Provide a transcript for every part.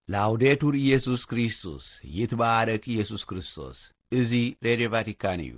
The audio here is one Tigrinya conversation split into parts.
ላውዴቱር ኢየሱስ ክርስቶስ፣ ይትባረክ ኢየሱስ ክርስቶስ። እዚ ሬድዮ ቫቲካን እዩ።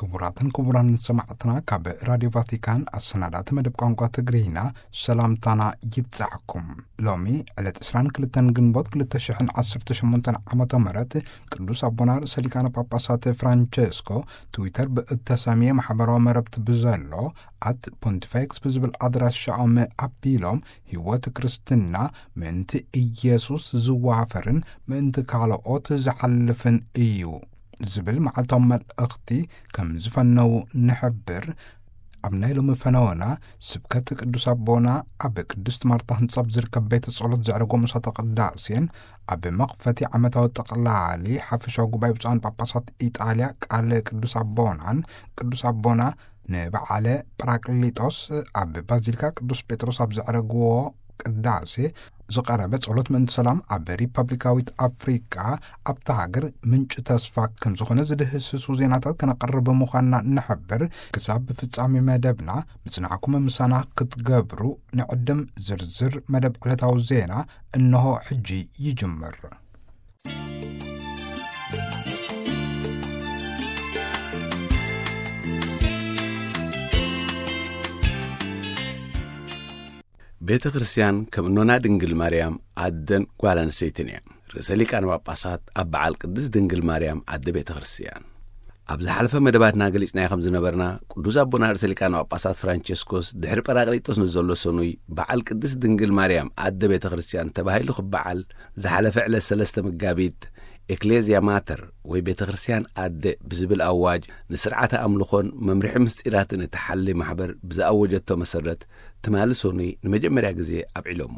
ክቡራትን ክቡራን ሰማዕትና፣ ካብ ራድዮ ቫቲካን ኣሰናዳእቲ መደብ ቋንቋ ትግርኛ ሰላምታና ይብጻሕኩም። ሎሚ ዕለት ዕስራን ክልተን ግንቦት ክልተ ሽሕን ዓሰርተ ሸሞንተን ዓመተ ምህረት ቅዱስ ኣቦና ርእሰ ሊቃነ ጳጳሳት ፍራንቸስኮ ትዊተር ብእተሰምየ ማሕበራዊ መረብቲ ብዘሎ ኣት ፖንቲፌክስ ብዝብል ኣድራሻኦም ኣቢሎም፣ ህይወት ክርስትና ምእንቲ ኢየሱስ ዝዋፈርን ምእንቲ ካልኦት ዝሓልፍን እዩ ዝብል መዓልታዊ መልእኽቲ ከም ዝፈነዉ ንሕብር። ኣብ ናይ ሎሚ ፈነወና ስብከት ቅዱስ ኣቦና ኣብ ቅድስት ማርታ ህንጻ ኣብ ዝርከብ ቤተ ጸሎት ዘዕረጎ ምሳተ ቅዳሴን ኣብ መኽፈቲ ዓመታዊ ጠቕላሊ ሓፈሻዊ ጉባኤ ብፁዓን ጳጳሳት ኢጣልያ ቃለ ቅዱስ ኣቦናን ቅዱስ ኣቦና ንበዓለ ጳራቅሊጦስ ኣብ ባዚሊካ ቅዱስ ጴጥሮስ ኣብ ዘዕረግዎ ቅዳሴ ዝቐረበ ጸሎት ምእንቲ ሰላም ኣብ ሪፐብሊካዊት ኣፍሪቃ ኣብታ ሃገር ምንጪ ተስፋ ከም ዝኾነ ዝድህስሱ ዜናታት ከነቕርብ ምዃንና ንሕብር። ክሳብ ፍጻሜ መደብና ምጽናዕኩም ምሳና ክትገብሩ ንዕድም። ዝርዝር መደብ ዕለታዊ ዜና እንሆ ሕጂ ይጅምር። ቤተ ክርስቲያን ከም እኖና ድንግል ማርያም ኣደን ጓል ኣንስተይትን እያ። ርእሰ ሊቃነ ጳጳሳት ኣብ በዓል ቅድስት ድንግል ማርያም ኣደ ቤተ ክርስቲያን። ኣብ ዝሓለፈ መደባትና ገሊጽናዮ ከም ዝነበርና፣ ቅዱስ ኣቦና ርእሰ ሊቃነ ጳጳሳት ፍራንቸስኮስ ድሕሪ ጳራቅሊጦስ ንዘሎ ሰኑይ በዓል ቅድስት ድንግል ማርያም ኣደ ቤተ ክርስቲያን ተባሂሉ ክበዓል ዝሓለፈ ዕለት ሰለስተ መጋቢት ኤክሌዝያ ማተር ወይ ቤተ ክርስቲያን ኣደ ብዝብል ኣዋጅ ንስርዓተ ኣምልኾን መምርሒ ምስጢራትን እትሓሊ ማሕበር ብዝኣወጀቶ መሰረት ትማሊ ሰኑይ ንመጀመርያ ግዜ ኣብዒሎሞ።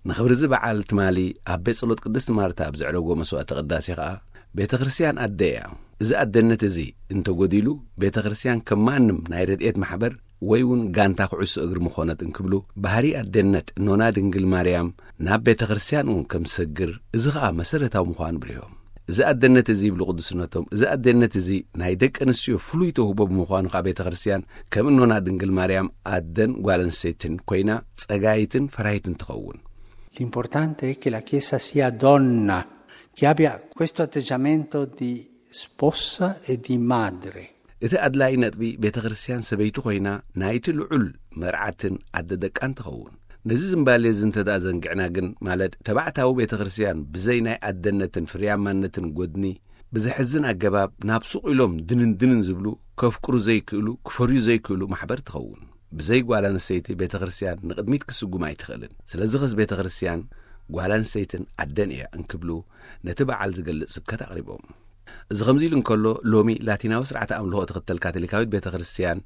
ንኽብሪ እዚ በዓል ትማሊ ኣብ ቤት ጸሎት ቅድስት ማርታ ኣብ ዘዕረጎ መስዋዕተ ቅዳሴ ኸኣ ቤተ ክርስቲያን ኣደ እያ። እዚ ኣደነት እዚ እንተጎዲሉ ቤተ ክርስቲያን ከም ማንም ናይ ረድኤት ማሕበር ወይ እውን ጋንታ ኩዕሶ እግሪ ምኾነት እንክብሉ ባህሪ ኣደነት እኖና ድንግል ማርያም ናብ ቤተ ክርስቲያን እውን ከም ዝሰግር፣ እዚ ኸኣ መሰረታዊ ምዃኑ ብሪሆም። እዚ ኣደነት እዚ ይብሉ ቅዱስነቶም፣ እዚ ኣደነት እዚ ናይ ደቂ ኣንስትዮ ፍሉይ ተውህቦ ብምዃኑ ኸኣ ቤተ ክርስቲያን ከም እኖና ድንግል ማርያም ኣደን ጓል ኣንስተይትን ኮይና ጸጋይትን ፈራሂትን ትኸውን። L'importante è che la Chiesa sia donna, che abbia questo atteggiamento di sposa e di madre. እቲ ኣድላይ ነጥቢ ቤተ ክርስቲያን ሰበይቲ ኮይና ናይቲ ልዑል መርዓትን ኣደ ደቃን ትኸውን። ነዚ ዝምባሌ እዚ እንተ ደኣ ዘንጊዕና ግን፣ ማለት ተባዕታዊ ቤተ ክርስቲያን ብዘይ ናይ ኣደነትን ፍርያማነትን ጎድኒ ብዘሕዝን ኣገባብ ናብ ሱቕ ኢሎም ድንን ድንን ዝብሉ፣ ከፍቅሩ ዘይክእሉ፣ ክፈርዩ ዘይክእሉ ማሕበር ትኸውን። ብዘይ ጓል ኣንስተይቲ ቤተ ክርስቲያን ንቕድሚት ክስጉም ኣይትኽእልን። ስለዚ ኸስ ቤተ ክርስቲያን ጓል ኣንስተይትን ኣደን እያ እንክብሉ ነቲ በዓል ዝገልጽ ስብከት ኣቕሪቦም። እዚ ከምዚ ኢሉ እንከሎ፣ ሎሚ ላቲናዊ ስርዓተ ኣምልኾ እትኽተል ካቶሊካዊት ቤተ ክርስቲያን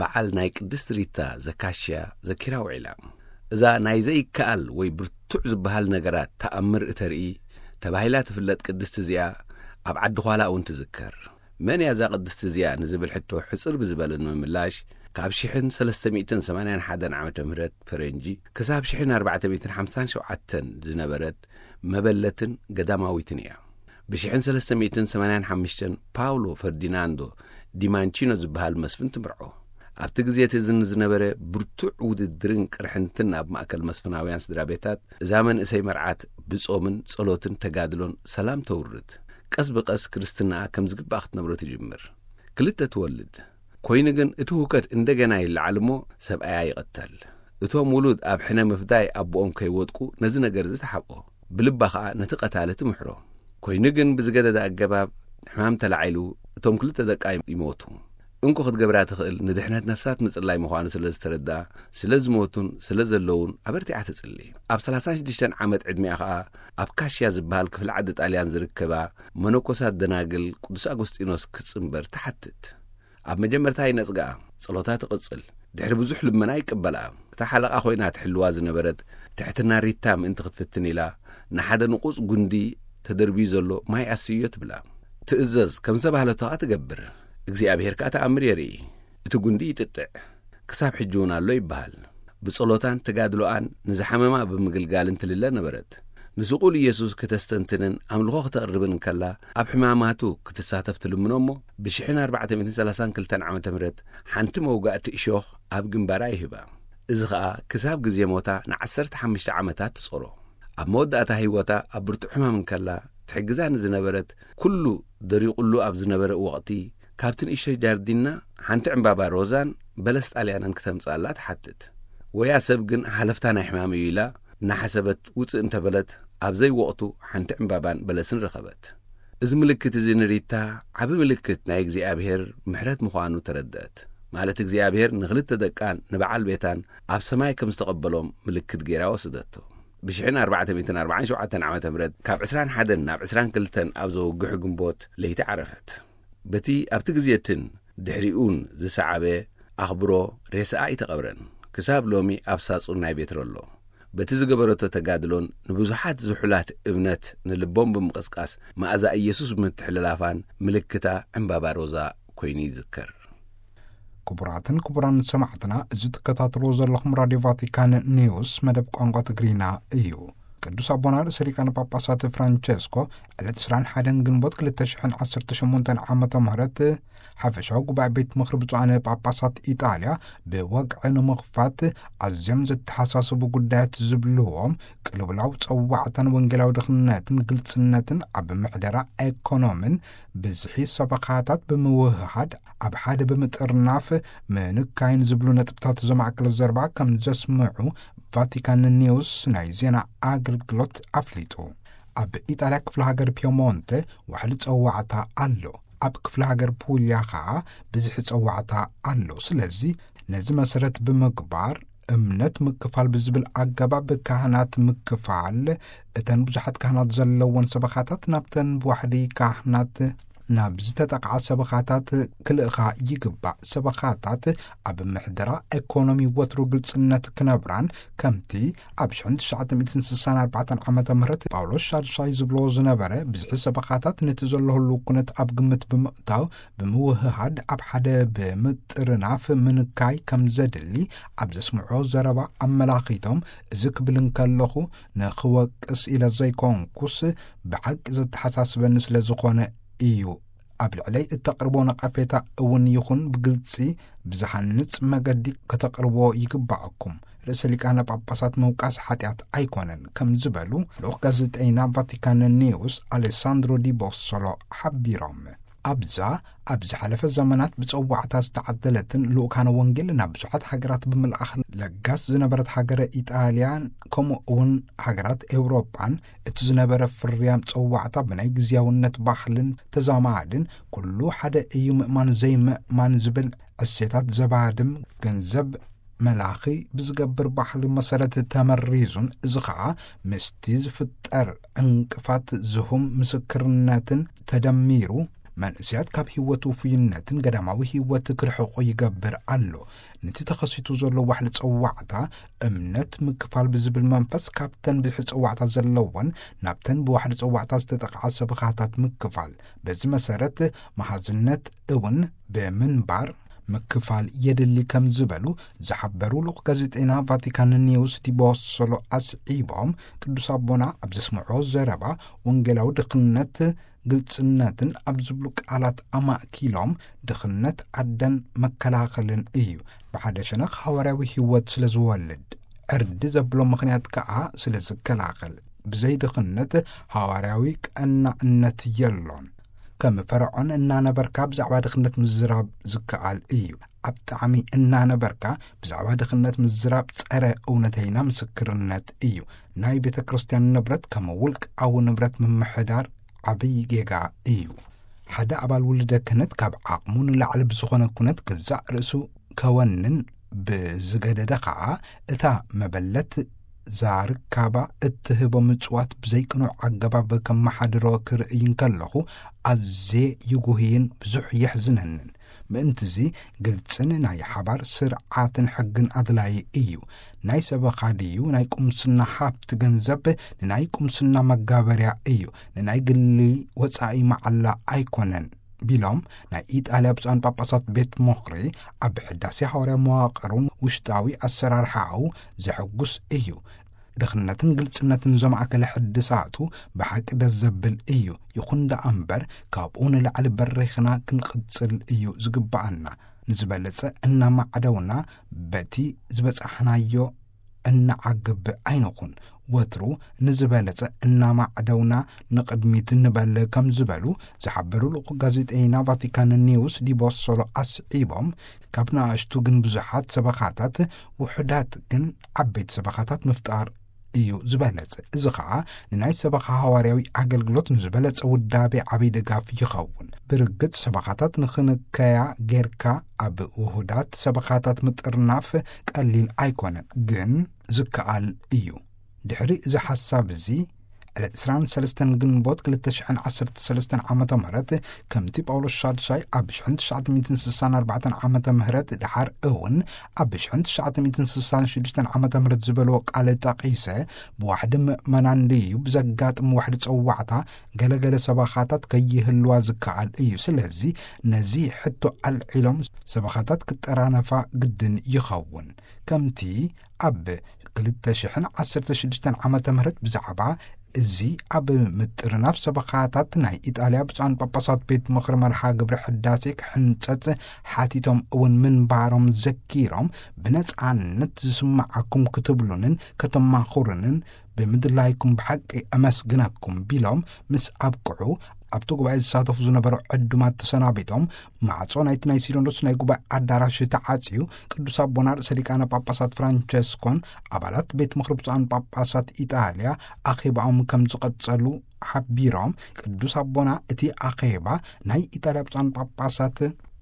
በዓል ናይ ቅድስት ሪታ ዘካሽያ ዘኪራ ውዒላ። እዛ ናይ ዘይከኣል ወይ ብርቱዕ ዝበሃል ነገራት ተኣምር እተርኢ ተባሂላ ትፍለጥ ቅድስቲ እዚኣ ኣብ ዓዲ ዃላ እውን ትዝከር። መን እያ እዛ ቅድስቲ እዚኣ ንዝብል ሕቶ ሕጽር ብዝበለ ንምምላሽ፣ ካብ ሽሕን ሰለስተ ሚእትን ሰማንያን ሓደን ዓመተ ምህረት ፈረንጂ ክሳብ ሽሕን ኣርባዕተ ሚእትን ሓምሳን ሸውዓተን ዝነበረት መበለትን ገዳማዊትን እያ። ብሽሕን ሰለስተ ሚእትን ሰማንያን ሓሙሽተን ፓውሎ ፈርዲናንዶ ዲማንቺኖ ዝበሃል መስፍን ትምርዖ። ኣብቲ ግዜ እቲ እዚ ንዝነበረ ብርቱዕ ውድድርን ቅርሕንትን ኣብ ማእከል መስፍናውያን ስድራ ቤታት፣ እዛ መንእሰይ መርዓት ብጾምን ጸሎትን ተጋድሎን ሰላም ተውርድ። ቀስ ብቐስ ክርስትናኣ ከም ዝግባእ ክትነብሮ ትጅምር። ክልተ ትወልድ። ኮይኑ ግን እቲ ህውከት እንደገና ይለዓል እሞ ሰብኣያ ይቕተል። እቶም ውሉድ ኣብ ሕነ ምፍዳይ ኣቦኦም ከይወድቁ ነዚ ነገር እዚ ተሓብኦ። ብልባ ኸኣ ነቲ ቀታሊ ትምሕሮ። ኮይኑ ግን ብዝገደደ ኣገባብ ሕማም ተላዒሉ እቶም ክልተ ደቃ ይሞቱ። እንኮ ክትገብራ ትኽእል ንድሕነት ነፍሳት ምጽላይ ምዃኑ ስለ ዝተረድኣ፣ ስለ ዝሞቱን ስለ ዘለዉን ኣበርቲዓ ትጽሊ። ኣብ ሰላሳን ሽዱሽተን ዓመት ዕድሚኣ ኸኣ ኣብ ካሽያ ዝበሃል ክፍሊ ዓዲ ጣልያን ዝርከባ መነኮሳት ደናግል ቅዱስ ኣጎስጢኖስ ክትጽንበር ትሓትት። ኣብ መጀመርታ ይነጽግኣ፣ ጸሎታ ትቕጽል። ድሕሪ ብዙሕ ልመና ይቅበልኣ። እታ ሓለቓ ኮይና ትሕልዋ ዝነበረት ትሕትና ሪታ ምእንቲ ክትፍትን ኢላ ንሓደ ንቑጽ ጉንዲ ተደርብዩ ዘሎ ማይ ኣስዮ ትብላ። ትእዘዝ፣ ከም ዝተባህለቶ ከኣ ትገብር። እግዚኣብሔር ከኣ ተኣምር የርኢ። እቲ ጉንዲ ይጥጥዕ። ክሳብ ሕጂ እውን ኣሎ ይበሃል። ብጸሎታን ተጋድሎኣን ንዝሓመማ ብምግልጋልን ትልለ ነበረት። ንስቑል ኢየሱስ ክተስተንትንን ኣምልኾ ክተቕርብን እንከላ፣ ኣብ ሕማማቱ ክትሳተፍ ትልምኖ እሞ፣ ብ ሽሕን ኣርባዕተ ሚእትን ሰላሳን ክልተን ዓመተ ምህረት ሓንቲ መውጋእቲ እሾኽ ኣብ ግንባራ ይህባ። እዚ ኸኣ ክሳብ ግዜ ሞታ ንዓሰርተ ሓሙሽተ ዓመታት ትጾሮ። ኣብ መወዳእታ ህይወታ ኣብ ብርቱዕ ሕማም እንከላ፣ ትሕግዛ ንዝነበረት፣ ኩሉ ደሪቑሉ ኣብ ዝነበረ ወቕቲ፣ ካብቲ ንእሽቶ ጃርዲና ሓንቲ ዕምባባ ሮዛን በለስ ጣልያንን ክተምጽኣላ ትሓትት። ወያ ሰብ ግን ሓለፍታ ናይ ሕማም እዩ ኢላ እናሓሰበት ውጽእ እንተበለት፣ ኣብ ዘይወቕቱ ሓንቲ ዕምባባን በለስን ረኸበት። እዚ ምልክት እዚ ንሪታ ዓቢ ምልክት ናይ እግዚኣብሔር ምሕረት ምዃኑ ተረድአት። ማለት እግዚኣብሔር ንኽልተ ደቃን ንበዓል ቤታን ኣብ ሰማይ ከም ዝተቐበሎም ምልክት ገይራ ወሰደቶ። ብ ሽሕን ኣርባዕተ ሚእትን ኣርባዓን ሸውዓተን ዓመተ ምህረት ካብ ዕስራን ሓደን ናብ ዕስራን ክልተን ኣብ ዘወግሕ ግንቦት ለይቲ ዓረፈት። በቲ ኣብቲ ግዜ እትን ድሕሪኡን ዝሰዓበ ኣኽብሮ ሬሳኣ ኣይተቐብረን። ክሳብ ሎሚ ኣብ ሳጹን ናይ ቤትሮ ኣሎ። በቲ ዝገበረቶ ተጋድሎን ንብዙሓት ዝሑላት እምነት ንልቦም ብምቕስቃስ መኣዛ ኢየሱስ ብምትሕልላፋን ምልክታ ዕምባባ ሮዛ ኮይኑ ይዝከር። ክቡራትን ክቡራን ሰማዕትና፣ እዚ ትከታተልዎ ዘለኹም ራድዮ ቫቲካን ኒውስ መደብ ቋንቋ ትግርኛ እዩ። ቅዱስ ኣቦና ርእሰ ሊቃነ ጳጳሳት ፍራንቸስኮ ዕለት ዕስራን ሓደን ግንቦት ክልተ ሽሕን ዓሰርተ ሸሞንተን ዓመተ ምህረት ሓፈሻዊ ጉባኤ ቤት ምኽሪ ብፁዓን ጳጳሳት ኢጣልያ ብወግዒ ንምኽፋት ኣዝዮም ዘተሓሳስቡ ጉዳያት ዝብልዎም ቅልውላው ጸዋዕታን ወንጌላዊ ድኽነትን ግልጽነትን ኣብ ምሕደራ ኤኮኖምን ብዝሒ ሰበኻታት ብምውህሃድ ኣብ ሓደ ብምጥርናፍ ምንካይን ዝብሉ ነጥብታት ዘማእከለ ዘረባ ከም ዘስምዑ ቫቲካን ኒውስ ናይ ዜና ኣገልግሎት ኣፍሊጡ። ኣብ ኢጣልያ ክፍለ ሃገር ፒየሞንተ ዋሕዲ ጸዋዕታ ኣሎ። ኣብ ክፍለ ሃገር ፑልያ ኸኣ ብዝሒ ጸዋዕታ ኣሎ። ስለዚ ነዚ መሰረት ብምግባር እምነት ምክፋል ብዝብል ኣገባብ ካህናት ምክፋል፣ እተን ብዙሓት ካህናት ዘለወን ሰበኻታት ናብተን ብዋሕዲ ካህናት ናብ ዝተጠቕዓ ሰበኻታት ክልእኻ ይግባእ። ሰበኻታት ኣብ ምሕደራ ኤኮኖሚ ወትሩ ግልጽነት ክነብራን ከምቲ ኣብ ሽሕን ትሽዓተ ሚእትን ስሳን ኣርባዕተን ዓመተ ምህረት ጳውሎስ ሻድሻይ ዝብልዎ ዝነበረ ብዝሒ ሰበኻታት ነቲ ዘሎ ህልው ኩነት ኣብ ግምት ብምእታው ብምውህሃድ ኣብ ሓደ ብምጥርናፍ ምንካይ ከም ዘድሊ ኣብ ዘስምዖ ዘረባ ኣመላኺቶም፣ እዚ ክብል እንከለኹ ንኽወቅስ ኢለ ዘይኮንኩስ ብሓቂ ዘተሓሳስበኒ ስለ ዝኾነ እዩ። ኣብ ልዕለይ እተቕርቦ ነቐፌታ እውን ይኹን ብግልጺ ብዝሃንጽ መገዲ ከተቕርቦ ይግባኣኩም። ርእሰ ሊቃነ ጳጳሳት ምውቃስ ሓጢኣት ኣይኮነን ከም ዝበሉ ልኡኽ ጋዜጠይና ቫቲካን ኒውስ ኣሌሳንድሮ ዲ ቦሶሎ ሓቢሮም። ኣብዛ ኣብ ዝሓለፈ ዘመናት ብጸዋዕታ ዝተዓደለትን ልኡካነ ወንጌል ናብ ብዙሓት ሃገራት ብምልኣኽ ለጋስ ዝነበረት ሃገረ ኢጣልያን ከምኡ እውን ሃገራት ኤውሮጳን እቲ ዝነበረ ፍርያም ጸዋዕታ ብናይ ግዝያውነት ባህልን ተዛማድን ኩሉ ሓደ እዩ ምእማን ዘይምእማን ዝብል እሴታት ዘባድም ገንዘብ መላኺ ብዝገብር ባህሊ መሰረት ተመሪዙን እዚ ኸኣ ምስቲ ዝፍጠር ዕንቅፋት ዝሁም ምስክርነትን ተደሚሩ መንእስያት ካብ ህይወት ውፉይነትን ገዳማዊ ህይወት ክርሕቑ ይገብር ኣሎ። ነቲ ተኸሲቱ ዘሎ ዋሕሊ ጸዋዕታ እምነት ምክፋል ብዝብል መንፈስ ካብተን ብዝሒ ጸዋዕታ ዘለወን ናብተን ብዋሕዲ ጸዋዕታ ዝተጠቕዓ ሰበኻታት ምክፋል። በዚ መሰረት መሃዝነት እውን ብምንባር ምክፋል የድሊ ከም ዝበሉ ዝሓበሩ ልኡኽ ጋዜጠይና ቫቲካን ኒውስ ዲቦሶሎ ኣስዒቦም ቅዱስ ኣቦና ኣብ ዘስምዖ ዘረባ ወንጌላዊ ድኽነት ግልጽነትን ኣብ ዝብሉ ቃላት ኣማእኪሎም ድኽነት ዓደን መከላኸልን እዩ። ብሓደ ሸነኽ ሃዋርያዊ ህይወት ስለ ዝወልድ ዕርዲ ዘብሎ ምኽንያት ከኣ ስለ ዝከላኸል ብዘይ ድኽነት ሃዋርያዊ ቀናእነት የሎን። ከም ፈርዖን እናነበርካ ብዛዕባ ድኽነት ምዝራብ ዝከኣል እዩ። ኣብ ጣዕሚ እናነበርካ ብዛዕባ ድኽነት ምዝራብ ጸረ እውነተይና ምስክርነት እዩ። ናይ ቤተ ክርስቲያን ንብረት ከም ውልቃዊ ንብረት ምምሕዳር ዓብዪ ጌጋ እዩ። ሓደ ኣባል ውልደ ክህነት ካብ ዓቕሙ ንላዕሊ ብዝኾነ ኩነት ገዛእ ርእሱ ከወንን ብዝገደደ ኸዓ እታ መበለት ዛርካባ እትህቦ ምጽዋት ብዘይቅኑዕ ኣገባብ ከመሓድሮ ክርእይ እንከለኹ ኣዝየ ይጉህይን ብዙሕ የሕዝነንን። ምእንትዚ ግልጽን ናይ ሓባር ስርዓትን ሕግን ኣድላዪ እዩ። ናይ ሰበኻ ድዩ ናይ ቁምስና ሃብቲ ገንዘብ ንናይ ቁምስና መጋበርያ እዩ፣ ንናይ ግሊ ወጻኢ መዓላ ኣይኮነን ቢሎም፣ ናይ ኢጣልያ ብፁዓን ጳጳሳት ቤት ምኽሪ ኣብ ሕዳሴ ሃዋርያ መዋቕሩን ውሽጣዊ ኣሰራርሓኡ ዘሐጉስ እዩ። ድኽነትን ግልጽነትን ዘማእከለ ሕድሳቱ ብሓቂ ደስ ዘብል እዩ። ይኹን ደኣ እምበር ካብኡ ንላዕሊ በሪኽና ክንቕጽል እዩ ዝግብኣና። ንዝበለጸ እናማዕደውና በቲ ዝበጻሕናዮ እናዓግብ ኣይንኹን። ወትሩ ንዝበለጸ እናማዕደውና ንቕድሚት ንበል ከም ዝበሉ ዝሓበሩ ልኡኽ ጋዜጠይና ቫቲካን ኒውስ ዲቦሶሎ ኣስዒቦም፣ ካብ ንኣሽቱ ግን ብዙሓት ሰበኻታት ውሑዳት ግን ዓበይቲ ሰበኻታት ምፍጣር እዩ ዝበለጸ። እዚ ኸኣ ንናይ ሰበኻ ሃዋርያዊ ኣገልግሎት ንዝበለጸ ውዳቤ ዓብይ ድጋፍ ይኸውን። ብርግጽ ሰበኻታት ንኽንከያ ጌርካ ኣብ ውሁዳት ሰበኻታት ምጥርናፍ ቀሊል ኣይኮነን፣ ግን ዝከኣል እዩ። ድሕሪ እዚ ሓሳብ እዚ ዕለት ዕስራን ሰለስተን ግንቦት ክልተ ሽሕን ዓሰርተ ሰለስተን ዓመተ ምህረት ከምቲ ጳውሎስ ሻድሻይ ኣብ ሽሕን ትሽዓተ ሚእትን ስሳን ኣርባዕተን ዓመተ ምህረት ድሓር እውን ኣብ ሽሕን ትሽዓተ ሚእትን ስሳን ሽዱሽተን ዓመተ ምህረት ዝበልዎ ቃል ጠቒሰ፣ ብዋሕዲ ምእመናን ድዩ ብዘጋጥም ዋሕዲ ጸዋዕታ ገለገለ ሰባኻታት ከይህልዋ ዝከኣል እዩ። ስለዚ ነዚ ሕቶ ኣልዒሎም ሰባኻታት ክጠራነፋ ግድን ይኸውን። ከምቲ ኣብ ክልተ ሽሕን ዓሰርተ ሽዱሽተን ዓመተ ምህረት ብዛዕባ እዚ ኣብ ምጥርናፍ ሰበኻታት ናይ ኢጣልያ ብፁዓን ጳጳሳት ቤት ምኽሪ መርሃ ግብሪ ሕዳሴ ክሕንጸጽ ሓቲቶም እውን ምንባሮም ዘኪሮም፣ ብነጻነት ዝስምዓኩም ክትብሉንን ከተማኹሩንን ብምድላይኩም ብሓቂ ኣመስግነኩም ቢሎም ምስ ኣብቅዑ፣ ኣብቲ ጉባኤ ዝሳተፉ ዝነበሩ ዕዱማት ተሰናቢቶም፣ ማዕጾ ናይቲ ናይ ሲኖዶስ ናይ ጉባኤ ኣዳራሽ ተዓጽዩ፣ ቅዱስ ኣቦና ርእሰ ሊቃነ ጳጳሳት ፍራንቸስኮን ኣባላት ቤት ምኽሪ ብፁዓን ጳጳሳት ኢጣልያ ኣኼባኦም ከም ዝቐጸሉ ሓቢሮም፣ ቅዱስ ኣቦና እቲ ኣኼባ ናይ ኢጣልያ ብፁዓን ጳጳሳት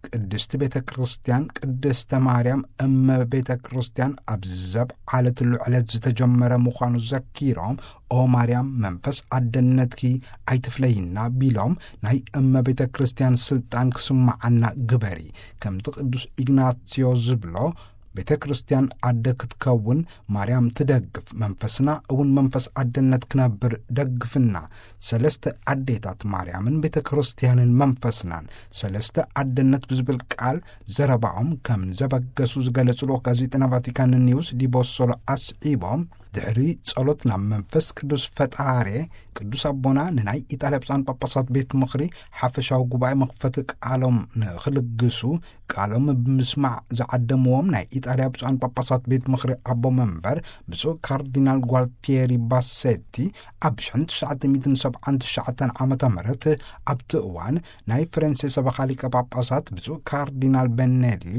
ቅድስቲ ቤተ ክርስቲያን ቅድስተ ማርያም እመ ቤተ ክርስቲያን ኣብ ዘብዓለትሉ ዕለት ዝተጀመረ ምዃኑ ዘኪሮም፣ ኦ ማርያም መንፈስ ኣደነትኪ ኣይትፍለይና ቢሎም፣ ናይ እመ ቤተ ክርስቲያን ስልጣን ክስምዓና ግበሪ። ከምቲ ቅዱስ ኢግናትዮ ዝብሎ፣ ቤተ ክርስቲያን ኣደ ክትከውን ማርያም ትደግፍ፣ መንፈስና እውን መንፈስ ኣደነት ክነብር ደግፍና። ሰለስተ ኣዴታት ማርያምን ቤተ ክርስቲያንን መንፈስናን ሰለስተ ኣደነት ብዝብል ቃል ዘረባኦም ከም ዘበገሱ ዝገለጹ ልኡኽ ጋዜጠና ቫቲካን ኒውስ ዲቦሶሎ ኣስዒቦም፣ ድሕሪ ጸሎት ናብ መንፈስ ቅዱስ ፈጣሬ ቅዱስ ኣቦና ንናይ ኢጣልያ ብፁዓን ጳጳሳት ቤት ምኽሪ ሓፈሻዊ ጉባኤ መኽፈቲ ቃሎም ንኽልግሱ ቃሎም ብምስማዕ ዝዓደምዎም ናይ ኢጣልያ ብፁዓን ጳጳሳት ቤት ምኽሪ ኣቦ መንበር ብፁዕ ካርዲናል ጓልቲየሪ ባሴቲ ኣብ ሽሕን ትሽዓተ ሚእትን ሰብዓን ትሽዓተን ዓመተ ምህረት ኣብቲ እዋን ናይ ፈረንሴ ሰበኻ ሊቀ ጳጳሳት ብፁዕ ካርዲናል በኔሊ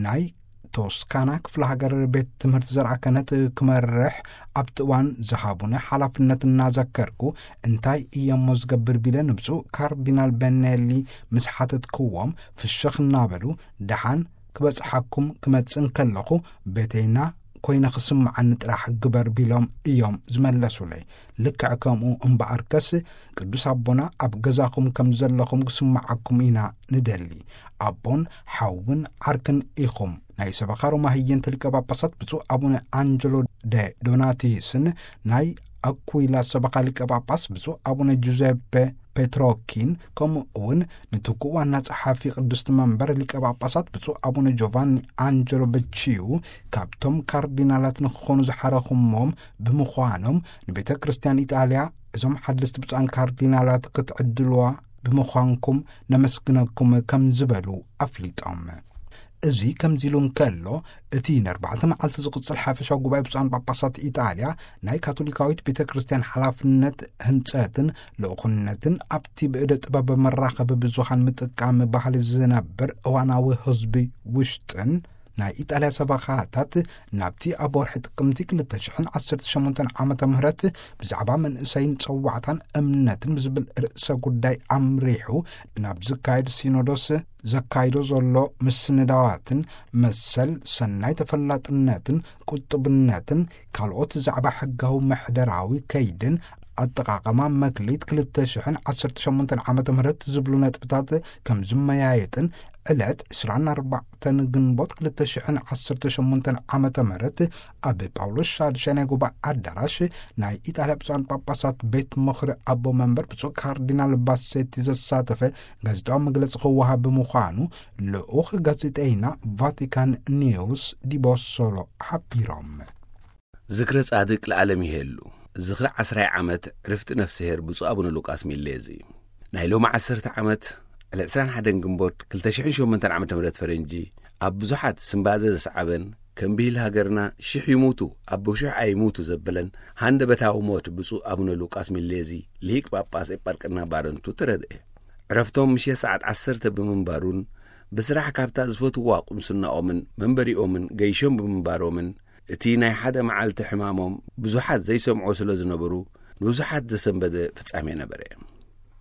ናይ ቶስካና ክፍለ ሃገር ቤት ትምህርቲ ዘርኣ ክህነት ክመርሕ ኣብቲ እዋን ዝሃቡኒ ሓላፍነት እናዘከርኩ፣ እንታይ እየሞ ዝገብር ቢለ ንብፁዕ ካርዲናል በኔሊ ምስ ሓተትክዎም፣ ፍሽኽ እናበሉ፣ ደሓን ክበጽሓኩም ክመጽእ እንከለኹ፣ ቤተይና ኮይነ ክስምዓኒ ጥራሕ ግበር ቢሎም እዮም ዝመለሱለይ። ልክዕ ከምኡ እምበኣርከስ፣ ቅዱስ ኣቦና ኣብ ገዛኹም ከም ዘለኹም ክስምዓኩም ኢና ንደሊ። ኣቦን ሓውን ዓርክን ኢኹም። ናይ ሰበኻ ሮማ ህየንተ ሊቀ ጳጳሳት ብፁዕ ኣቡነ ኣንጀሎ ደ ዶናቲስን ናይ ኣኩይላ ሰበኻ ሊቀ ጳጳስ ብፁዕ ኣቡነ ጁዘፔ ፔትሮኪን፣ ከምኡ እውን ንትኩእ ዋና ጸሓፊ ቅድስቲ መንበር ሊቀ ጳጳሳት ብፁዕ ኣቡነ ጆቫኒ ኣንጀሎ በቺዩ፣ ካብቶም ካርዲናላት ንክኾኑ ዝሓረኹሞም ብምዃኖም፣ ንቤተ ክርስቲያን ኢጣልያ እዞም ሓደስቲ ብፁዓን ካርዲናላት ክትዕድልዋ ብምዃንኩም ነመስግነኩም ከም ዝበሉ ኣፍሊጦም። እዚ ከምዚ ኢሉ እንከሎ፣ እቲ ንኣርባዕተ መዓልቲ ዝቕጽል ሓፈሻዊ ጉባኤ ብፁዓን ጳጳሳት ኢጣልያ ናይ ካቶሊካዊት ቤተ ክርስቲያን ሓላፍነት ህንጸትን ልኡኽነትን ኣብቲ ብእደ ጥበብ መራኸቢ ብዙሃን ምጥቃም ባህሊ ዝነብር እዋናዊ ህዝቢ ውሽጥን ናይ ኢጣልያ ሰበኻታት ናብቲ ኣብ ወርሒ ጥቅምቲ ክልተ ሽሕን ዓሰርተ ሸሞንተን ዓመተ ምህረት ብዛዕባ መንእሰይን ጸዋዕታን እምነትን ብዝብል ርእሰ ጉዳይ ኣምሪሑ ናብ ዝካየድ ሲኖዶስ ዘካይዶ ዘሎ ምስንዳዋትን መሰል ሰናይ ተፈላጥነትን ቁጥብነትን ካልኦት ዛዕባ ሕጋዊ ምሕደራዊ ከይድን ኣጠቓቐማ መክሊት ክልተ ሽሕን ዓሰርተ ሸሞንተን ዓመተ ምህረት ዝብሉ ነጥብታት ከም ዝመያየጥን ዕለት ዕስራን ኣርባዕተን ግንቦት ክልተ ሽሕን ዓሰርተ ሸሞንተን ዓመተ ምህረት ኣብ ጳውሎስ ሻድሻይ ናይ ጉባኤ ኣዳራሽ ናይ ኢጣልያ ብፁዓን ጳጳሳት ቤት ምኽሪ ኣቦ መንበር ብፁዕ ካርዲናል ባሴቲ ዘሳተፈ ጋዜጣዊ መግለጺ ክወሃብ ብምዃኑ ልኡኽ ጋዜጠይና ቫቲካን ኒውስ ዲቦሶሎ ሓቢሮም። ዝክረ ጻድቅ ለዓለም ይሄሉ። ዝኽሪ ዓስራይ ዓመት ዕርፍቲ ነፍስሄር ብፁዕ ኣቡነ ሉቃስ ሚሌዚ። ናይ ሎሚ ዓሰርተ ዓመት ዕለት ዕስራን ሓደን ግንቦት ክልተ ሽሕን ሸሞንተን ዓመተ ምህረት ፈረንጂ ኣብ ብዙሓት ስምባዘ ዘስዓበን ከም ብሂል ሃገርና ሽሕ ይሙቱ ኣቦ ሽሕ ኣይሙቱ ዘበለን ሃንደበታዊ ሞት ብፁዕ ኣቡነ ሉቃስ ሚሌዚ ሊቅ ጳጳስ ኤጳርቅና ባረንቱ ተረድኤ። ዕረፍቶም ምሸት ሰዓት ዓሰርተ ብምንባሩን ብስራሕ ካብታ ዝፈትዋ ቁምስናኦምን መንበሪኦምን ገይሾም ብምንባሮምን እቲ ናይ ሓደ መዓልቲ ሕማሞም ብዙሓት ዘይሰምዖ ስለ ዝነበሩ ንብዙሓት ዘሰንበደ ፍጻሜ ነበረ።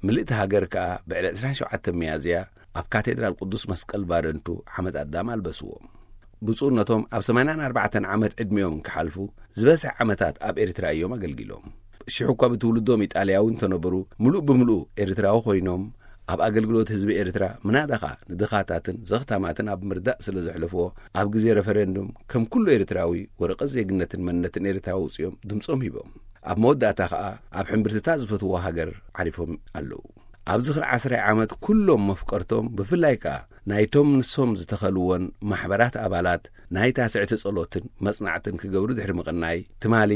ምልእቲ ሃገር ከኣ ብዕለት ዕስራን ሸውዓተን ሚያዝያ ኣብ ካቴድራል ቅዱስ መስቀል ባረንቱ ሓመድ ኣዳም ኣልበስዎም። ብፁዕነቶም ኣብ ሰማንያን ኣርባዕተን ዓመት ዕድሚኦም እንክሓልፉ ዝበዝሐ ዓመታት ኣብ ኤርትራ እዮም ኣገልጊሎም። ሽሕ እኳ ብትውልዶም ኢጣልያዊ እንተነበሩ ምሉእ ብምሉእ ኤርትራዊ ኮይኖም ኣብ ኣገልግሎት ህዝቢ ኤርትራ ምናዳኻ ንድኻታትን ዘኽታማትን ኣብ ምርዳእ ስለ ዘሕለፍዎ ኣብ ግዜ ረፈረንዱም ከም ኩሉ ኤርትራዊ ወረቐት ዜግነትን መንነትን ኤርትራዊ ኣውጺኦም ድምጾም ሂቦም። ኣብ መወዳእታ ከኣ ኣብ ሕምብርትታ ዝፈትዎ ሃገር ዓሪፎም ኣለዉ። ኣብ ዝኽሪ ዓስራይ ዓመት ኩሎም መፍቀርቶም ብፍላይ ከኣ ናይቶም ንሶም ዝተኸልዎን ማሕበራት ኣባላት ናይ ታስዕቲ ጸሎትን መጽናዕትን ክገብሩ ድሕሪ ምቕናይ ትማሊ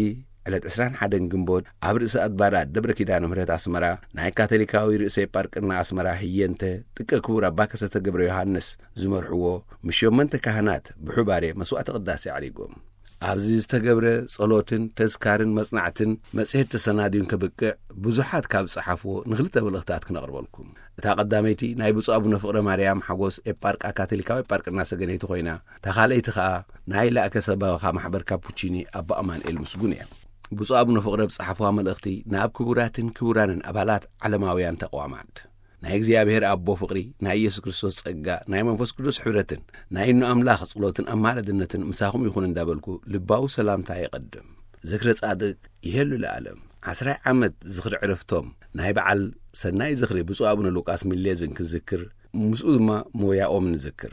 ዕለት ዕስራን ሓደን ግንቦት ኣብ ርእሰ ኣድባራት ደብረ ኪዳነ ምሕረት ኣስመራ ናይ ካቶሊካዊ ርእሰ ኤጳርቅና ኣስመራ ህየንተ ጥቀ ክቡር ኣባ ከሰተ ገብረ ዮሃንስ ዝመርሕዎ ምስ ሸሞንተ ካህናት ብሑባሬ መስዋዕተ ቅዳሴ ኣዕሪጎም። ኣብዚ ዝተገብረ ጸሎትን ተዝካርን መጽናዕትን መጽሔት ተሰናድዩን ከብቅዕ ብዙሓት ካብ ጸሓፍዎ ንኽልተ መልእኽታት ክነቕርበልኩም። እታ ቀዳመይቲ ናይ ብፁዕ ኣቡነ ፍቕረ ማርያም ሓጎስ ኤጳርቃ ካቶሊካዊ ኤጳርቅና ሰገነይቲ ኮይና እታ ካልኣይቲ ኸኣ ናይ ላእከ ሰበኻ ማሕበር ካፑቺኒ ኣባ ኣማንኤል ምስጉን እያ። ብፁዕ ኣቡነ ፍቕረ ብጸሓፍዋ መልእኽቲ ናብ ክቡራትን ክቡራንን ኣባላት ዓለማውያን ተቕዋማት ናይ እግዚኣብሔር ኣቦ ፍቕሪ ናይ ኢየሱስ ክርስቶስ ጸጋ ናይ መንፈስ ቅዱስ ሕብረትን ናይ እኖ ኣምላኽ ጸሎትን ኣማላድነትን ምሳኹም ይኹን እንዳበልኩ ልባዊ ሰላምታ የቐድም። ዝክረ ጻድቅ ይሄሉ ለዓለም። ዓስራይ ዓመት ዝኽሪ ዕረፍቶም ናይ በዓል ሰናይ ዝኽሪ ብፁዕ ኣቡነ ሉቃስ ሚሌዝን ክዝክር ምስኡ ድማ ሞያኦም ንዝክር።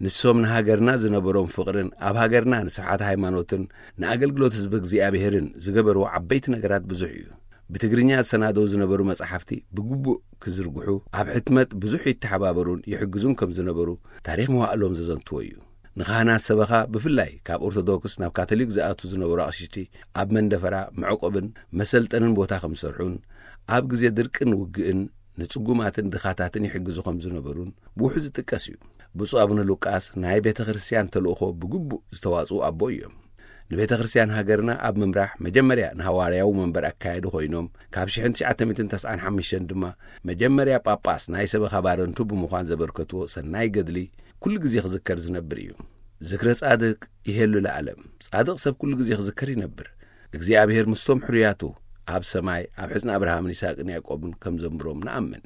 ንሶም ንሃገርና ዝነበሮም ፍቕርን ኣብ ሃገርና ንስርዓት ሃይማኖትን ንኣገልግሎት ህዝቢ እግዚኣብሔርን ዝገበርዎ ዓበይቲ ነገራት ብዙሕ እዩ። ብትግርኛ ዝሰናደው ዝነበሩ መጻሕፍቲ ብግቡእ ክዝርግሑ ኣብ ሕትመት ብዙሕ ይተሓባበሩን ይሕግዙን ከም ዝነበሩ ታሪኽ መዋእሎም ዘዘንትዎ እዩ። ንኻህናት ሰበኻ ብፍላይ ካብ ኦርቶዶክስ ናብ ካቶሊክ ዝኣቱ ዝነበሩ ኣቕሽቲ ኣብ መንደፈራ መዕቆብን መሰልጠንን ቦታ ከም ዝሰርሑን ኣብ ግዜ ድርቅን ውግእን ንጽጉማትን ድኻታትን ይሕግዙ ከም ዝነበሩን ብውሑ ዝጥቀስ እዩ። ብፁዕ ኣቡነ ሉቃስ ናይ ቤተ ክርስቲያን ተልእኾ ብግቡእ ዝተዋጽኡ ኣቦ እዮም። ንቤተ ክርስቲያን ሃገርና ኣብ ምምራሕ መጀመርያ ንሃዋርያዊ መንበር ኣካየዱ ኮይኖም ካብ ሽሕን ትሽዓተ ሚእትን ተስዓን ሓሙሽተን ድማ መጀመርያ ጳጳስ ናይ ሰበኻ ባረንቱ ብምዃን ዘበርከትዎ ሰናይ ገድሊ ኩሉ ግዜ ክዝከር ዝነብር እዩ። ዝክረ ጻድቅ ይሄሉ ለዓለም። ጻድቕ ሰብ ኩሉ ግዜ ክዝከር ይነብር። እግዚኣብሔር ምስቶም ሕሩያቱ ኣብ ሰማይ ኣብ ሕጽኒ ኣብርሃምን ይስሐቅን ያዕቆብን ከም ዘንብሮም ንኣምን።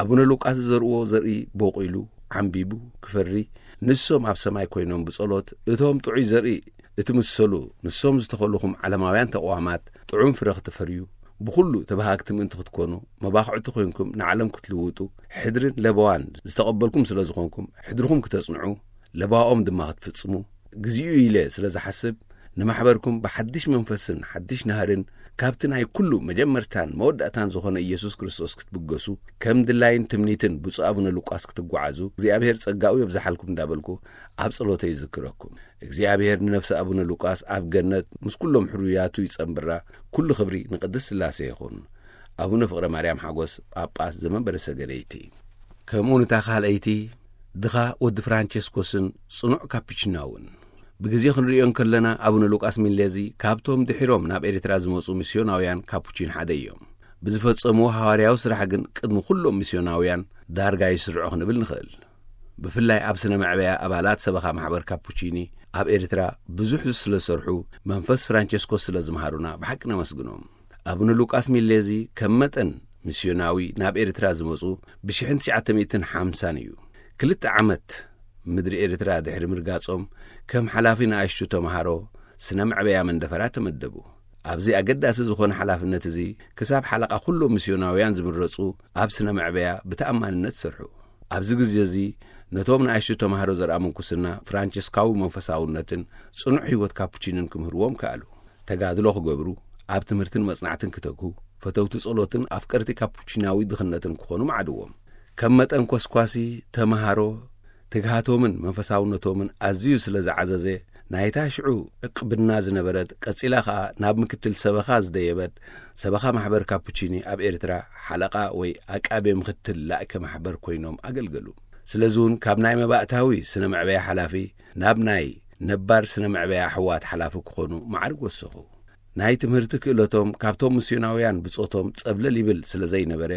ኣቡነ ሉቃስ ዝዘርእዎ ዘርኢ ቦቂሉ ዓምቢቡ ክፈሪ ንሶም ኣብ ሰማይ ኮይኖም ብጸሎት እቶም ጥዑይ ዘርኢ እትምሰሉ ንሶም ዝተኸልኹም ዓለማውያን ተቕዋማት ጥዑም ፍረ ክትፈርዩ ብኹሉ ተባሃግቲ ምእንቲ ክትኮኑ መባኽዕቲ ኮይንኩም ንዓለም ክትልውጡ ሕድርን ለበዋን ዝተቐበልኩም ስለ ዝኾንኩም ሕድርኹም ክተጽንዑ ለባኦም ድማ ክትፍጽሙ ግዜኡ ኢለ ስለ ዝሓስብ ንማሕበርኩም ብሓድሽ መንፈስን ሓድሽ ናህርን ካብቲ ናይ ኩሉ መጀመርታን መወዳእታን ዝኾነ ኢየሱስ ክርስቶስ ክትብገሱ ከም ድላይን ትምኒትን ብፁዕ ኣቡነ ሉቃስ ክትጓዓዙ እግዚኣብሔር ጸጋኡ የብዝሓልኩም እንዳበልኩ ኣብ ጸሎተይ ይዝክረኩም። እግዚኣብሔር ንነፍሲ ኣቡነ ሉቃስ ኣብ ገነት ምስ ኩሎም ሕሩያቱ ይጸንብራ። ኩሉ ክብሪ ንቅድስት ስላሴ ይኹን። ኣቡነ ፍቕረ ማርያም ሓጎስ ጳጳስ ዘመንበረ ሰገነይቲ ከምኡ ንታ ካልኣይቲ ድኻ ወዲ ፍራንቸስኮስን ጽኑዕ ካፕችናውን ብግዜ ክንርእዮ እንከለና ኣቡነ ሉቃስ ሚሌዚ ካብቶም ድሒሮም ናብ ኤርትራ ዝመጹ ሚስዮናውያን ካፑቺን ሓደ እዮም። ብዝፈጸምዎ ሃዋርያዊ ስራሕ ግን ቅድሚ ኩሎም ሚስዮናውያን ዳርጋ ይስርዑ ክንብል ንኽእል። ብፍላይ ኣብ ስነ መዕበያ ኣባላት ሰበኻ ማሕበር ካፑቺኒ ኣብ ኤርትራ ብዙሕ ስለ ዝሰርሑ መንፈስ ፍራንቸስኮስ ስለ ዝምሃሩና ብሓቂ ነመስግኖም። ኣቡነ ሉቃስ ሚሌዚ ከም መጠን ሚስዮናዊ ናብ ኤርትራ ዝመጹ ብሽሕን ትሽዓተ ሚእትን ሓምሳን እዩ። ክልተ ዓመት ምድሪ ኤርትራ ድሕሪ ምርጋጾም ከም ሓላፊ ንኣሽቱ ተምሃሮ ስነ መዕበያ መንደፈራ ተመደቡ። ኣብዚ ኣገዳሲ ዝኾነ ሓላፍነት እዚ ክሳብ ሓለቓ ኩሎም ሚስዮናውያን ዝምረጹ ኣብ ስነ መዕበያ ብተኣማንነት ሰርሑ። ኣብዚ ግዜ እዚ ነቶም ንኣሽቱ ተማሃሮ ዘርኣ ምንኩስና ፍራንቸስካዊ መንፈሳውነትን ጽኑዕ ህይወት ካፑቺንን ክምህርዎም ከኣሉ። ተጋድሎ ክገብሩ፣ ኣብ ትምህርትን መጽናዕትን ክተግሁ፣ ፈተውቲ ጸሎትን ኣፍቀርቲ ካፑቺናዊ ድኽነትን ክኾኑ መዓድዎም። ከም መጠን ኮስኳሲ ተማሃሮ ትግሃቶምን መንፈሳውነቶምን ኣዝዩ ስለ ዝዓዘዘ፣ ናይታ ሽዑ ዕቅብና ዝነበረት፣ ቀጺላ ኸኣ ናብ ምክትል ሰበኻ ዝደየበት፣ ሰበኻ ማሕበር ካፑቺኒ ኣብ ኤርትራ ሓለቓ ወይ ኣቃቤ ምክትል ላእከ ማሕበር ኮይኖም ኣገልገሉ። ስለዚ እውን ካብ ናይ መባእታዊ ስነ መዕበያ ሓላፊ ናብ ናይ ነባር ስነ መዕበያ ኣሕዋት ሓላፊ ክኾኑ ማዕርግ ወሰኹ። ናይ ትምህርቲ ክእለቶም ካብቶም ምስዮናውያን ብጾቶም ጸብለል ይብል ስለ ዘይነበረ፣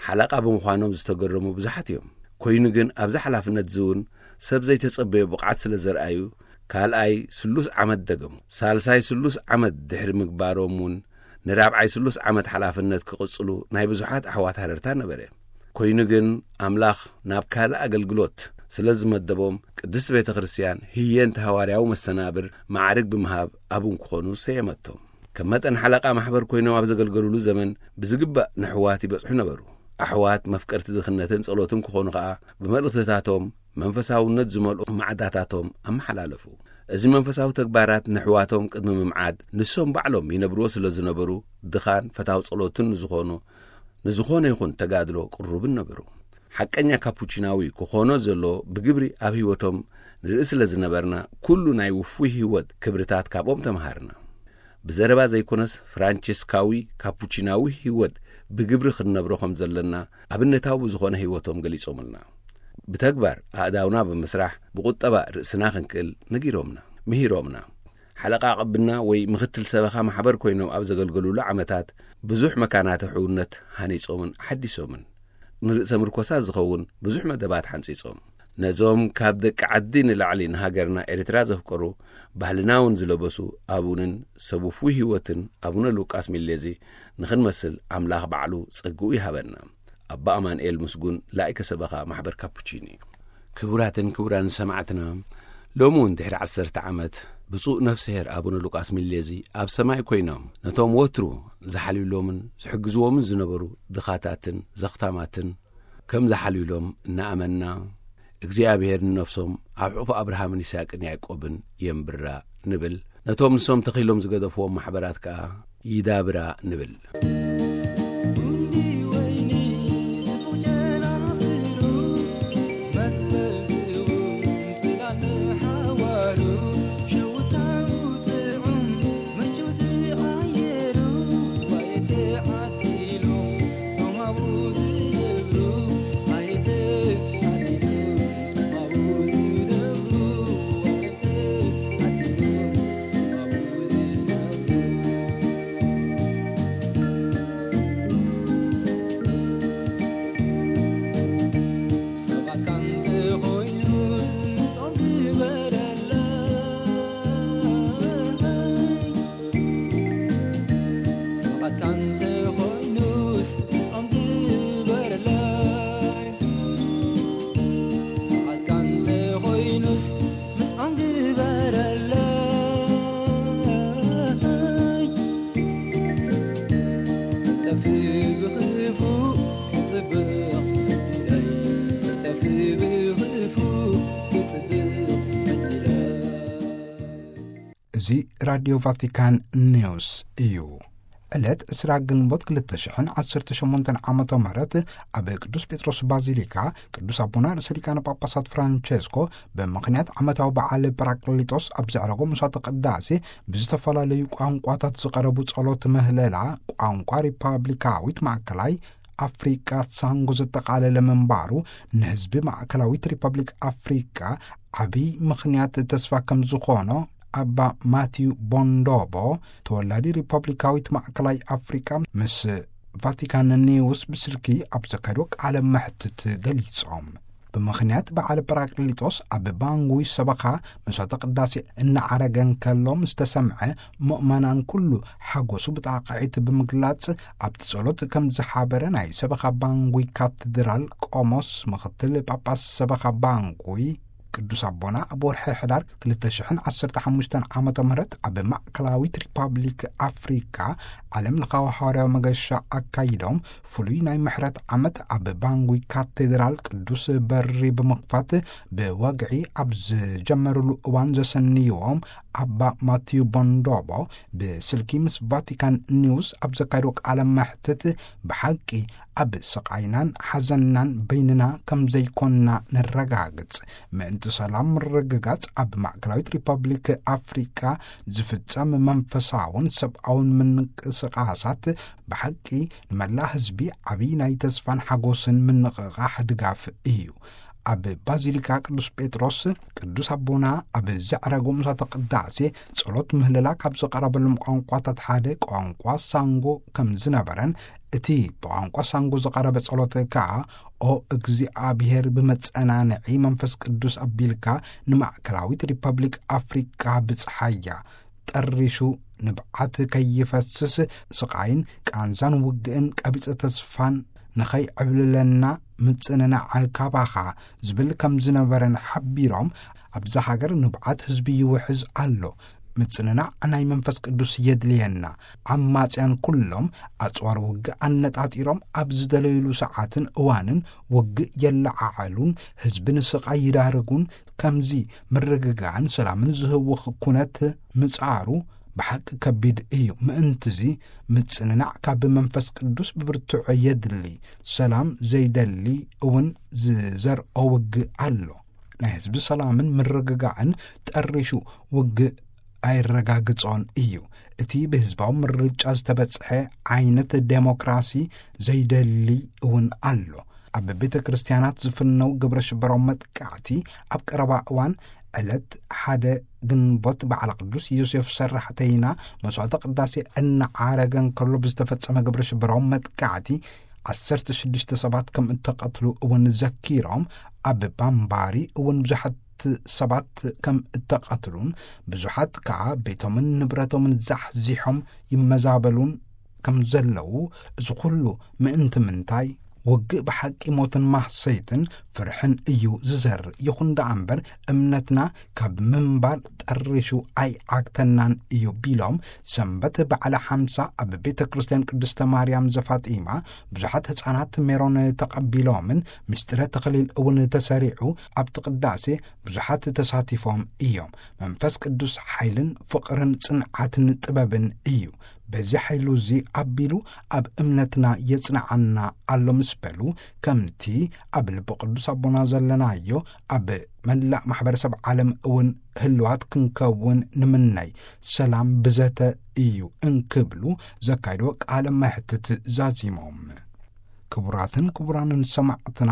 ሓለቓ ብምዃኖም ዝተገረሙ ብዙሓት እዮም። ኮይኑ ግን ኣብዚ ሓላፍነት እዚ እውን ሰብ ዘይተጸበዮ ብቕዓት ስለ ዘርኣዩ፣ ካልኣይ ስሉስ ዓመት ደገሙ። ሳልሳይ ስሉስ ዓመት ድሕሪ ምግባሮም እውን ንራብዓይ ስሉስ ዓመት ሓላፍነት ክቕጽሉ ናይ ብዙሓት ኣሕዋት ሃረርታ ነበረ። ኮይኑ ግን ኣምላኽ ናብ ካልእ ኣገልግሎት ስለ ዝመደቦም፣ ቅድስቲ ቤተ ክርስቲያን ህየንተ ሃዋርያዊ መሰናብር ማዕርግ ብምሃብ ኣቡን ክኾኑ ሰየመቶም። ከም መጠን ሓለቓ ማሕበር ኮይኖም ኣብ ዘገልገሉሉ ዘመን ብዝግባእ ንኣሕዋት ይበጽሑ ነበሩ። ኣሕዋት መፍቀርቲ ድኽነትን ጸሎትን ክኾኑ ኸኣ ብመልእኽትታቶም መንፈሳውነት ዝመልኦ ማዕዳታቶም ኣመሓላለፉ። እዚ መንፈሳዊ ተግባራት ንኣሕዋቶም ቅድሚ ምምዓድ ንሶም ባዕሎም ይነብርዎ ስለ ዝነበሩ፣ ድኻን ፈታው ጸሎትን ንዝኾኑ ንዝኾነ ይኹን ተጋድሎ ቅሩብን ነበሩ። ሓቀኛ ካፑቺናዊ ክኾኖ ዘሎ ብግብሪ ኣብ ህይወቶም ንርኢ ስለ ዝነበርና፣ ኩሉ ናይ ውፉይ ህይወት ክብርታት ካብኦም ተምሃርና። ብዘረባ ዘይኮነስ ፍራንቸስካዊ ካፑቺናዊ ህይወት ብግብሪ ክንነብሮ ከም ዘለና ኣብነታዊ ብዝኾነ ህይወቶም ገሊጾምልና። ብተግባር ኣእዳውና ብምስራሕ ብቁጠባ ርእስና ክንክእል ነጊሮምና፣ ምሂሮምና። ሓለቓ ቅብና ወይ ምኽትል ሰበኻ ማሕበር ኮይኖም ኣብ ዘገልገሉሉ ዓመታት ብዙሕ መካናት ሕውነት ሃኒጾምን ሓዲሶምን። ንርእሰ ምርኮሳ ዝኸውን ብዙሕ መደባት ሓንጺጾም። ነዞም ካብ ደቂ ዓዲ ንላዕሊ ንሃገርና ኤርትራ ዘፍቀሩ፣ ባህልና እውን ዝለበሱ ኣቡንን ሰብ ውፉይ ህይወትን ኣቡነ ሉቃስ ሚሌዚ ንኽንመስል ኣምላኽ ባዕሉ ጸግኡ ይሃበና። ኣባ ኣማንኤል ምስጉን ላይከ ሰበኻ ማሕበር ካፑቺኒ። ክቡራትን ክቡራን ሰማዕትና፣ ሎሚ እውን ድሕሪ ዓሰርተ ዓመት ብፁዕ ነፍስሄር ኣቡነ ሉቃስ ሚሌዚ ኣብ ሰማይ ኮይኖም ነቶም ወትሩ ዝሓልዩሎምን ዝሕግዝዎምን ዝነበሩ ድኻታትን ዘኽታማትን ከም ዝሓልዩሎም እናኣመንና፣ እግዚኣብሔር ንነፍሶም ኣብ ሕቑፊ ኣብርሃምን ይስሐቅን ያዕቆብን የንብራ ንብል። ነቶም ንሶም ተኺሎም ዝገደፍዎም ማሕበራት ከኣ ይዳብራ ንብል። እዚ ራድዮ ቫቲካን ኒውስ እዩ። ዕለት ዕስራ ግንቦት ክልተ ሽሕን ዓሰርተ ሸሞንተን ዓመተ ምህረት ኣብ ቅዱስ ጴጥሮስ ባዚሊካ ቅዱስ ኣቦና ርእሰ ሊቃነ ጳጳሳት ፍራንቸስኮ ብምኽንያት ዓመታዊ በዓል ጳራቅሊጦስ ኣብ ዘዕረጎ ምሳተ ቅዳሴ ብዝተፈላለዩ ቋንቋታት ዝቐረቡ ጸሎት ምህለላ ቋንቋ ሪፓብሊካዊት ማእከላይ ኣፍሪቃ ሳንጎ ዘጠቓለለ ምንባሩ ንህዝቢ ማእከላዊት ሪፓብሊክ ኣፍሪቃ ዓብዪ ምኽንያት ተስፋ ከም ዝኾኖ ኣባ ማቲዩ ቦንዶቦ ተወላዲ ሪፓብሊካዊት ማእከላይ ኣፍሪቃ ምስ ቫቲካን ኒውስ ብስልኪ ኣብ ዘካየድዎ ቃለ መሕትት ገሊጾም። ብምኽንያት በዓል ጳራቅሊጦስ ኣብ ባንጉይ ሰበኻ መስዋዕተ ቅዳሴ እናዓረገ እንከሎ ምስ ተሰምዐ ምእመናን ኩሉ ሓጎሱ ብጣቕዒት ብምግላጽ ኣብቲ ጸሎት ከም ዝሓበረ ናይ ሰበኻ ባንጉይ ካቴድራል ቆሞስ ምኽትል ጳጳስ ሰበኻ ባንጉይ ቅዱስ ኣቦና ኣብ ወርሒ ሕዳር ክልተ ሽሕን ዓሰርተ ሓሙሽተን ዓመተ ምህረት ኣብ ማእከላዊት ሪፓብሊክ ኣፍሪካ ዓለም ለኻዊ ሃዋርያዊ መገሻ ኣካይዶም፣ ፍሉይ ናይ ምሕረት ዓመት ኣብ ባንጉይ ካቴድራል ቅዱስ በሪ ብምኽፋት ብወግዒ ኣብ ዝጀመሩሉ እዋን ዘሰንይዎም ኣባ ማቲዩ ቦንዶቦ ብስልኪ ምስ ቫቲካን ኒውስ ኣብ ዘካየዶ ቃለ መሕትት፣ ብሓቂ ኣብ ስቓይናን ሓዘንናን በይንና ከም ዘይኮንና ነረጋግጽ። ምእንቲ ሰላም ምርግጋጽ ኣብ ማእከላዊት ሪፓብሊክ ኣፍሪቃ ዝፍጸም መንፈሳውን ሰብኣውን ምንቅስቓሳት ብሓቂ ንመላእ ህዝቢ ዓብዪ ናይ ተስፋን ሓጎስን ምንቕቓሕ ድጋፍ እዩ። ኣብ ባዚሊካ ቅዱስ ጴጥሮስ ቅዱስ ኣቦና ኣብ ዘዕረጉ ምሳተ ቅዳሴ ጸሎት ምህለላ ካብ ዝቐረበሎም ቋንቋታት ሓደ ቋንቋ ሳንጎ ከም ዝነበረን፣ እቲ ብቋንቋ ሳንጎ ዝቐረበ ጸሎት ከኣ "ኦ እግዚኣብሔር፣ ብመጸናንዒ መንፈስ ቅዱስ ኣቢልካ ንማእከላዊት ሪፐብሊክ ኣፍሪቃ ብጽሓያ፣ ጠሪሹ ንብዓት ከይፈስስ፣ ስቓይን ቃንዛን ውግእን ቀቢጸ ተስፋን ንኸይዕብልለና ምጽንናዕ ካባኻ" ዝብል ከም ዝነበረን ሓቢሮም፣ ኣብዛ ሃገር ንብዓት ህዝቢ ይውሕዝ ኣሎ። ምጽንናዕ ናይ መንፈስ ቅዱስ የድልየና። ዓማጽያን ኩሎም ኣጽዋር ውግእ ኣነጣጢሮም ኣብ ዝደለዩሉ ሰዓትን እዋንን ውግእ የለዓዕሉን፣ ህዝቢ ንስቓይ ይዳርጉን። ከምዚ ምርግጋእን ሰላምን ዝህውኽ ኩነት ምጻሩ ብሓቂ ከቢድ እዩ። ምእንትዚ ምጽንናዕ ካብ መንፈስ ቅዱስ ብብርቱዕ የድሊ። ሰላም ዘይደሊ እውን ዝዘርኦ ውግእ ኣሎ። ናይ ህዝቢ ሰላምን ምርግጋእን ጠሪሹ ውግእ ኣይረጋግጾን እዩ። እቲ ብህዝባዊ ምርጫ ዝተበጽሐ ዓይነት ዴሞክራሲ ዘይደሊ እውን ኣሎ። ኣብ ቤተ ክርስቲያናት ዝፍነው ግብረ ሽበራዊ መጥቃዕቲ ኣብ ቀረባ እዋን ዕለት ሓደ ግንቦት በዓለ ቅዱስ ዮሴፍ ሰራሕተይና መስዋዕተ ቅዳሴ እናዓረገ እንከሎ ብዝተፈጸመ ግብረ ሽበራዊ መጥቃዕቲ ዓሰርተ ሽዱሽተ ሰባት ከም እተቐትሉ እውን ዘኪሮም፣ ኣብ ባምባሪ እውን ብዙሓት ሰባት ከም እተቐትሉን ብዙሓት ከኣ ቤቶምን ንብረቶምን ዛሕዚሖም ይመዛበሉን ከም ዘለዉ፣ እዚ ኩሉ ምእንቲ ምንታይ? ውግእ ብሓቂ ሞትን ማህሰይትን ፍርሕን እዩ ዝዘርእ። ይኹን ደኣ እምበር እምነትና ካብ ምንባር ጠሪሹ ኣይዓግተናን እዩ ቢሎም፣ ሰንበት በዓለ ሓምሳ ኣብ ቤተ ክርስቲያን ቅድስተ ማርያም ዘፋጢማ ብዙሓት ህፃናት ሜሮን ተቐቢሎምን ምስጢረ ተኽሊል እውን ተሰሪዑ ኣብቲ ቅዳሴ ብዙሓት ተሳቲፎም እዮም። መንፈስ ቅዱስ ሓይልን ፍቕርን ጽንዓትን ጥበብን እዩ። በዚ ሓይሉ እዚ ኣቢሉ ኣብ እምነትና የጽንዓና ኣሎ ምስ በሉ፣ ከምቲ ኣብ ልቢ ቅዱስ ኣቦና ዘለናዮ ኣብ መላእ ማሕበረሰብ ዓለም እውን ህልዋት ክንከውን ንምነይ፣ ሰላም ብዘተ እዩ እንክብሉ ዘካይድዎ ቃለ መሕትት ዛዚሞም። ክቡራትን ክቡራንን ሰማዕትና፣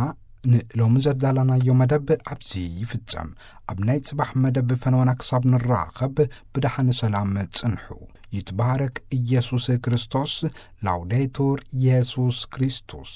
ንሎሚ ዘዳላናዮ መደብ ኣብዚ ይፍጸም። ኣብ ናይ ጽባሕ መደብ ፈነወና ክሳብ ንራኸብ ብደሓን ሰላም ጽንሑ። ይትባረክ ኢየሱስ ክርስቶስ። ላውዴቱር ኢየሱስ ክርስቶስ።